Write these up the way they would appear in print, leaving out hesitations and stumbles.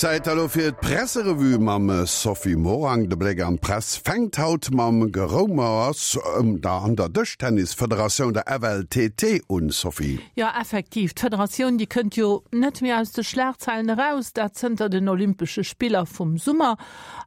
Zäit elo fir d'Presserevue mam Sophie Morang. De Bléck an d'Press fänkt haut mam Geroumers ëm der an der Dëschtennisfederatioun, der FLTT, un, Sophie. Jo, effektiv, d'Federatioun, déi kënnt jo net méi aus de Schlagzeilen eraus, dat zënter den Olympesche Spiller vum Summer.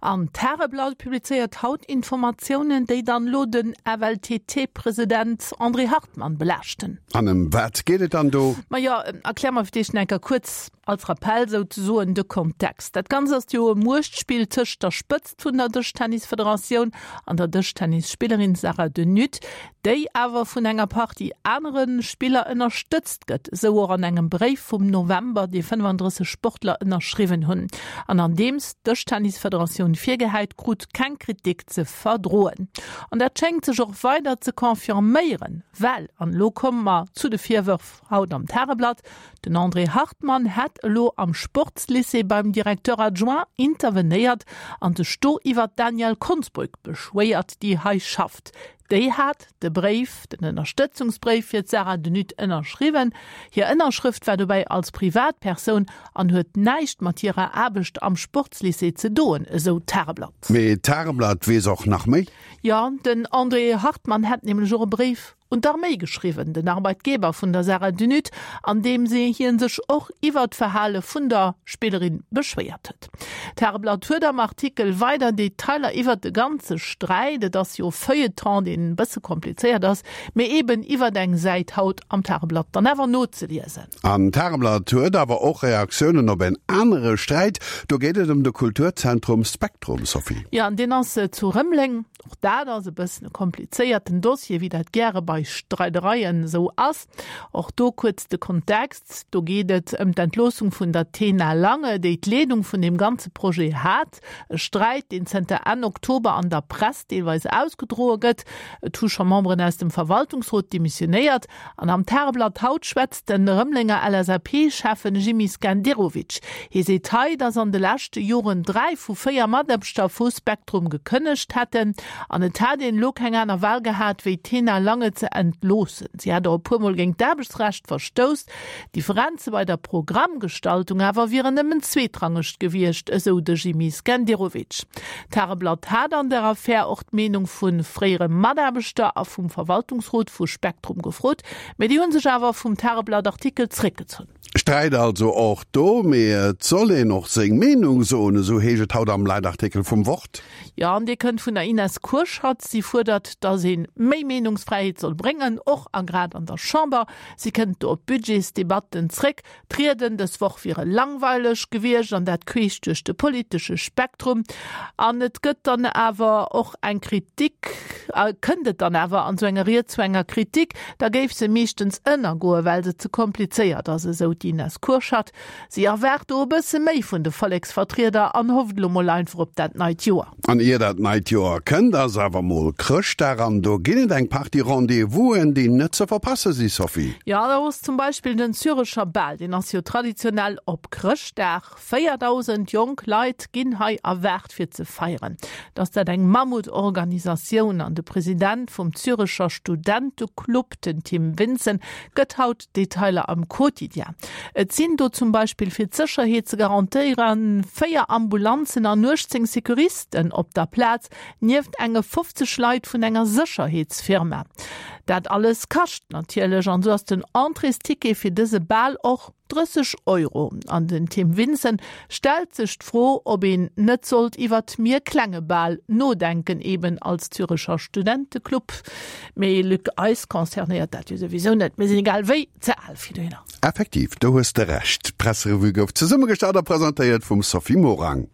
An d'Tageblatt publizéiert haut Informatiounen, déi dann elo den FLTT-President André Hartmann belaaschten. An ëm wat geet et dann do? Majo, erklär mer fir d'éischt nach eng Kéier kuerz als Rappell souzesoen de Kontext. Dat Ganzt ass jo e Muechtspill tëscht der Spëtzt vun der Dëschtennisfederatioun an der Dëschtennisspillerin Sarah De Nutte, déi awer vun enger Partie anere Spiller ënnerstëtzt gëtt, esou och an engem Bréif vum November, dee 35 Sportler ënnerschriwwen hunn an an deems d'Dëschtennisfederatioun virgehäit krut, keng Kritik ze verdroen. An dat schéngt sech och weider ze confirméieren, well, an elo komme mer zu de Virwërf haut am Tageblatt, den André Hartmann hätt elo am Sportslycée beim Directeur adjoint intervenéiert an sech do iwwert d'Danièle Konsbrück beschwéiert, déi hei schafft. Déi hat de Bréif, den Ënnerstëtzungsbréif fir d'Sarah de Nutte ënnerschriwwen. Hir Ënnerschrëft war dobäi als Privatpersoun an huet näischt mat hirer Aarbecht am Sportslycée ze doen, esou d'Tageblatt. Mee d'Tageblatt weess och nach méi. Jo, den André Hartmann hätt nämlech och e Bréif un d'Arméi geschriwwen, den Arbeitgeber vun der Sarah de Nutte, an deem se hien sech och iwwer d'Verhale vun der Spillerin beschwéiert huet. D'Tageblatt huet am Artikel weider Detailer iwwert de ganze Sträit, et ass jo e Feuilleton, deen e bësse komplizéiert ass, mee eben iwwert eng Säit haut am Tageblatt dann awer nozeliesen. An d'Tageblatt huet awer och Reaktiounen op en anere Sträit, do geet et ëm de Kulturzentrum Spektrum, Sophie. Jo, an deen ass zu Rëmeleng. Och dat ass e bëssen e komplizéierten Dossier, wéi dat gäre bei Streidereien esou ass. Och do kuerz de Kontext, Do geet et ëm d'Entloossung vun der Tena Lange, déi d'Leedung vun deem ganze Projet hat. E Sträit, deen zënter Enn Oktober an der Press deelweis ausgedroe gëtt. Et hu scho Memberen aus dem Verwaltungsrot demissionéiert. An am Tageblatt haut schwätzt de Rëmelenger LSAP-Schäffen Jimmy Skenderovic. Hie seet hei, datt an de leschte Joren 3 vu 4 Mataarbechter vu Spektrum gekënnegt hätten an et hätt een elo keng aner Wahl gehat, wéi d'Tena Lange ze entloossen. Si hätt och e puer Mol géint d'Aarbechtsrecht verstouss. D'Differenze bei der Programmgestaltung awer wieren nëmmen zweetrangeg gewiescht, esou de Jimmy Skenderovic. D'Tageblatt hat an der Affär och d'Meenung vu fréiere Mataarbechter a vum Verwaltungsrot vu Spektrum gefrot, mee déi hu sech awer vum Tageblatt-Artikel zréckgezunn. Sträit also och do, mee et soll een och seng Meenung soen, esou heescht et haut am Leitartikel vum Wort. Jo, an dee kënnt vun der Ines Kurschat. Si fuerdert, datt ee méi Meenungsfräiheet soll bréngen, och a grad an der Chamber. Si kënnt do op d'Budgetsdebatten zréck. D'Rieden dës Woch wiere langweileg gewiescht, an dat queesch duerch de politesche Spektrum. An et gëtt dann awer och eng Kritik, kënnt et dann awer an esou enger Ried zu enger Kritik, da géif se meeschtens ënnergoen, well se ze komplizéiert ass, esou d'Ines Kurschat. Si erwaart do e bësse méi vun de Volleksvertrieder an hofft elo mol einfach op dat neit Joer. An ier dat neit Joer kënnt, ass awer mol Chrëschtdag an do ginn et eng Partie Rendez-vousen, déi net ze verpasse si, Sophie. Jo, do ass zum Beispill den Zürecher Bal, deen ass jo traditionell op Chrëschtdag. 4.000 jonk Leit ginn hei erwaart fir ze feieren. Et ass dat eng Mammutorganisatioun an de President vum Zürecher Studenteclub, den Tim Vinson, gëtt haut Detailer am Quotidien. Et sinn do zum Beispill fir d'Sécherheet ze garantéieren 4 Ambulanzen an 18 Securisten op der Plaz, nieft enge 50 Leit vun enger Sécherheetsfirma. Dat alles kascht natierlech an esou ass den Entréesticket fir dëse Bal och 30 Euro. An den Tim Vinson stellt sech d'Fro, ob een net sollt iwwert méi e klenge Bal nodenken, eben als Zürecher Studenteclub. Mee Luc, eis concernéiert dat jo souwisou net, mir sinn egal wéi ze al fir dohinner. Effektiv, do hues de Recht. D'Presserevue gouf zesummegestallt a presentéiert vum Sophie Morang.